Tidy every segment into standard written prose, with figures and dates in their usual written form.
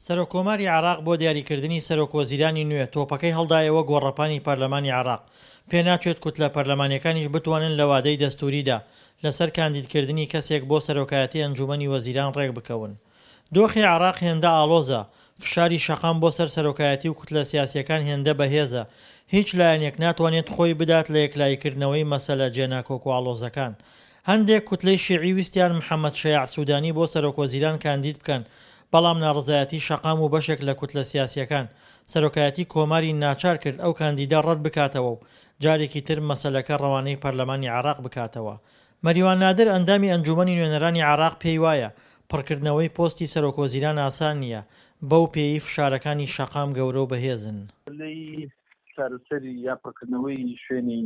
سەرۆککۆماری عێراق بۆ دیاریکردنی سەرۆکوەزیرانی نوێ تۆپەکەی هەڵدایەوە گۆڕەپانی پەرلەمانی عێراق، پێناچێت کوتلە پەرلەمانییەکانیش بتوانن لە وادەی دەستووریدا لەسەر کاندیدکردنی کەسێک بۆ سەرۆکایەتی ئەنجوومەنی وەزیران رێکبکەون. دۆخی عێراق هێندە ئاڵۆزە، فشاری شەقام بۆ سەر سەرۆکایەتی و کوتلە سیاسییەکان هێندە بەهێزە، هیچ لایەنێک ناتوانێت خۆی بدات لە یەکلاییکردنەوەی مەسەلە جێناکۆک و ئاڵۆزەکان. هەندێک کوتلەی شیعی ویستیان محەمەد شەیاع سودانی بۆ سەرۆکوەزیران کاندید بکەن، بەڵام ناڕەزایەتی شەقام و بەشێک لە کوتلە سیاسییەکان، سەرۆکایەتی کۆماری ناچار کرد ئەو کاندیدە ڕەت بکاتەوە و جارێکی تر مەسەلەکە ڕەوانەی پەرلەمانی عێراق بکاتەوە. مەریوان نادر ئەندامی ئەنجوومەنی نوێنەرانی عێراق پێی وایە، پڕکردنەوەی پۆستی سەرۆکوەزیران ئاسان نییە، بەو پێیەی فشارەکانی شەقام گەورە و بەهێزن. لەی چارەسەری یا پڕکردنەوەی شوێنی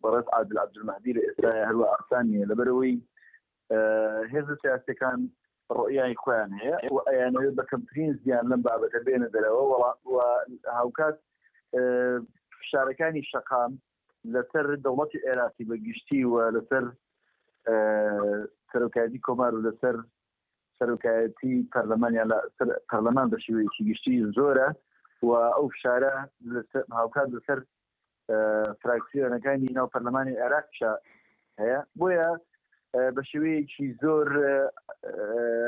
بەڕێز عادل عەبدولمەهدی لە ئێستایا هەروا ئاسان نییە، لەبەرئەوەی هێزە سیاسیەکان ڕۆیای خۆیان هەیە و ئەیانەوێت بە کەمترین زیان لەم بابەتە بێنە دەرەوە و هاوکات فشارەکانی شەقام لەسەر دەوڵەتی عێراقی بە گشتی و لەسەر سەرۆکایەتی کۆمار و لەسەر سەرۆکایەتی پەرلەمان یان لە پەرلەمان بە شێوەیەکی گشتی زۆرە و ئەو فشارە هاوکات لەسەر فراکسیۆنەکانی ناو پەرلەمانی عێراقیشا هەیە بۆیە بە شێوەیەکی زۆر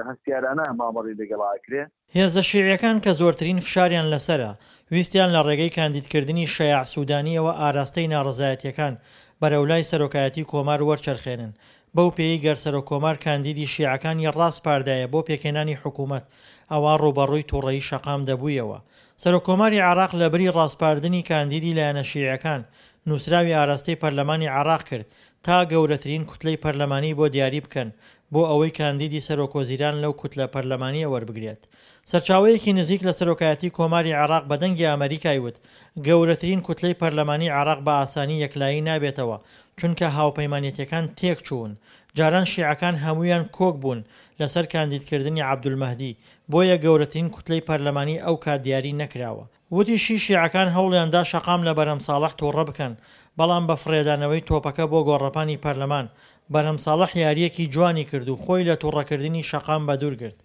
هەستیارانە مامەڵی لەگەڵ ئاکرێ. هێزە شیعیەکان کە زۆرترین فشاریان لەسەرە، ویستیان لە ڕێگەی کاندیدکردنی شەیاع سودانیەوە ئاراستەی ناڕەزایەتیەکان بەرەو لای سەرۆکایەتی کۆمار وەرچەرخێنن، بەو پێیەی گەر سەرۆککۆمار کاندیدی شیعەکانی ڕاسپاردایە بۆ پێکهێنانی حکوومەت، ئەوا ڕووبەڕووی تووڕەیی شەقام دەبوویەوە. سەرۆککۆماری عێراق لەبری ڕاسپاردنی کاندیدی لایەنە شیعەکان، نووسراوی ئاراستەی پەرلەمانی عێراق کرد تا گەورەترین کوتلەی پەرلەمانی بۆ دیاری بکەن بۆ ئەوەی کاندیدی سەرۆکوەزیران لەو کوتلە پەرلەمانییە وەربگرێت. سەرچاوەیەکی نزیک لە سەرۆکایەتی کۆماری عێراق بە دەنگی ئەمەریکای وت، گەورەترین کوتلەی پەرلەمانی عێراق بە ئاسانی یەکلایی نابێتەوە، چونکە هاوپەیمانێتیەکان تێکچوون. جاران شیعەکان هەموویان کۆک بوون لەسەر کاندیدکردنی عەبدولمەهدی، بۆیە گەورەترین کوتلەی پەرلەمانی ئەوکات دیاری نەکراوە. وتیشی، شیعەکان هەوڵیاندا شەقام لە بەرهەم ساڵح توڕە بکەن، بەڵام بە فڕێدانەوەی تۆپەکە بۆ گۆڕەپانی پەرلەمان، بەرهەم ساڵح یارییەکی جوانی کرد و خۆی لە توڕەکردنی شەقام بەدوور گرت.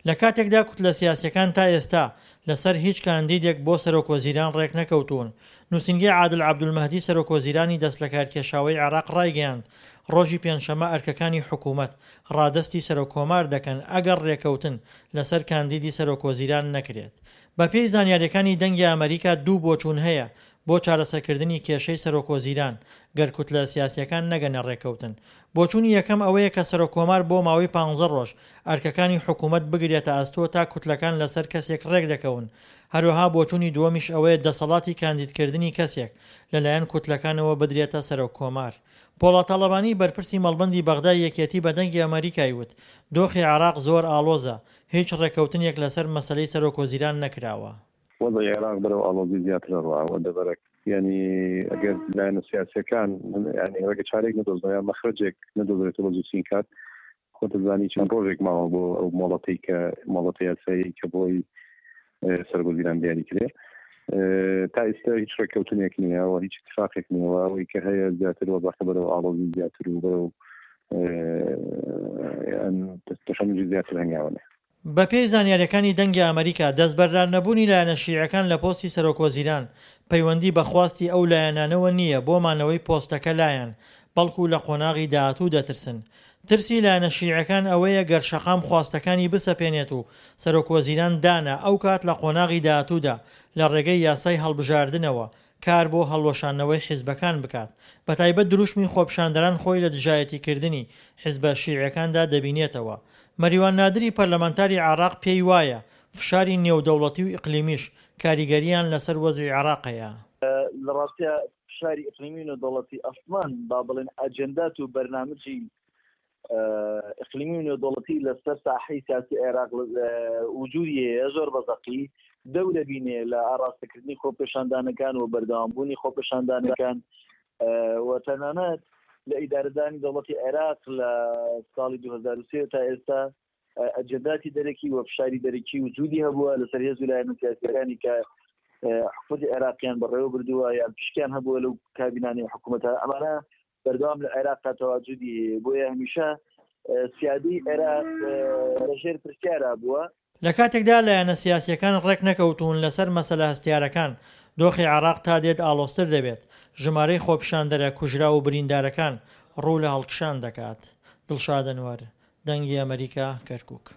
لە کاتێکدا کوتلە سیاسییەکان تا ئێستا لەسەر هیچ کاندیدێک بۆ سەرۆکوەزیران ڕێکنەکەوتوون، نووسینگەی عادل عەبدولمەهدی سەرۆکوەزیرانی دەستلەکارکێشاوەی عێراق ڕایگەیاند، ڕۆژی پێنجشەممە ئەرکەکانی حکوومەت ڕادەستی سەرۆککۆمار دەکەن ئەگەر ڕێکەوتن لەسەر کاندیدی سەرۆکوەزیران نەکرێت. بەپێی زانیارییەکانی دەنگی ئەمەریکا دوو بۆچوون هەیە بۆ چارەسەرکردنی کێشەی سەرۆکوەزیران گەر کوتلە سیاسییەکان نەگەنە ڕێککەوتن. بۆچوونی یەکەم ئەوەیە کە سەرۆککۆمار بۆ ماوەی پانزە ڕۆژ ئەرکەکانی حکومەت بگرێتە ئەستۆ تا کوتلەکان لەسەر کەسێک ڕێکدەکەون. هەروەها بۆچوونی دووەمیش ئەوەیە دەسەڵاتی کاندیدکردنی کەسێک لەلایەن کوتلەکانەوە بدرێتە سەرۆککۆمار. پۆڵا تاڵەبانی بەرپرسی مەڵبەندی بەغدای یەکێتی بە دەنگی ئەمەریکای وت دۆخی عێراق زۆر ئاڵۆزە، هیچ ڕێککەوتنێک لەسەر مەسەلەی سەرۆکوەزیران نەکراوە. وەزعی عێراق بەرەو ئاڵۆزی زیاتر ئەڕوا و دەبەرەک یانی ئەگەر لایەنە سیاسیەکان یانی ڕێگە چارێک نەدۆزنەوە یان مەخرەجێک نەدۆزرێتەوە بە زووترین کات خۆت دەزانی چەند ڕۆژێک ماوە بۆ ئەو مۆڵەتەی کە مۆڵەتە یاسایی کە بۆی سەرۆکوەزیران دیاری کرێ تا ئێستا هیچ ڕێککەوتنێک نییە و هیچ اتفاقێک نییە و ئەوەی کە هەیە زیاتر وەزعەکە بەرەو ئاڵۆزی زیاتر و بەرەو تەشەنوجی زیاتر هەنگاوە نێ. بەپێی زانیارییەکانی دەنگی ئەمەریکا، دەستبەردارنەبوونی لایەنە شیعەکان لە پۆستی سەرۆکوەزیران، پەیوەندی بە خواستی ئەو لایەنانەوە نییە بۆ مانەوەی پۆستەکە لایان، بەڵکو لە قۆناغی داهاتوو دەترسن. ترسی لایەنە شیعەکان ئەوەیە گەر شەقام خواستەکانی بسەپێنێت و سەرۆکوەزیران دانا، ئەوکات لە قۆناغی داهاتوودا لە ڕێگەی یاسای هەڵبژاردنەوە کار بۆ هەڵوەشاندنەوەی حیزبەکان بکات، بەتایبەت دروشمی خۆپیشاندەران خۆی لە دژایەتیکردنی حیزبە شیعیەکاندا دەبینێتەوە. مەریوان نادری پەرلەمانتاری عێراق پێی وایە فشاری نێودەوڵەتی و ئیقلیمیش کاریگەرییان لەسەر وەزعی عێراق هەیە. لە ڕاستیا فشاری ئیقلیمی و نێودەوڵەتی ئەسڵەن با بڵێن ئەجێندات و بەرنامجی ئیقلیمی و نێودەوڵەتی لەسەر ساحەی سیاسی عێراق وجودی هەیە زۆر بە زەقی دەورە بینێ لە ئاراستەکردنی خۆپێشاندانەکان و بەردەوامبوونی خۆپێشاندانەکان و تەنانەت لە ئیدارەدانی دەوڵەتی عێراق لە ساڵی 2023 تا ئێستا ئەجنداتی دەرەکی و فشاری دەرەکی وجودی هەبووە لەسەر هێز و لایەنە سیاسیەکانی کە حکومەتی عێراقیان بەڕێوە بردووە یان پشکیان هەبووە لەو کابینانی حکوومەتە ئەمانە بەردەوام لە عێراقا تەواجودی هەیە بۆیە هەمیشە سیادی عێراق لەژێر پرسیارا بووە. لە کاتێکدا لایەنە سیاسییەکان ڕێکنەکەوتوون لەسەر مەسەلە هەستیارەکان، دۆخی عێراق تا دێت ئاڵۆزتر دەبێت، ژمارەی خۆپیشاندەرە کوژراو و بریندارەکان ڕوو لە هەڵکشان دەکات. دڵشاد ئەنوەر، دەنگی ئەمەریکا، کەرکوک.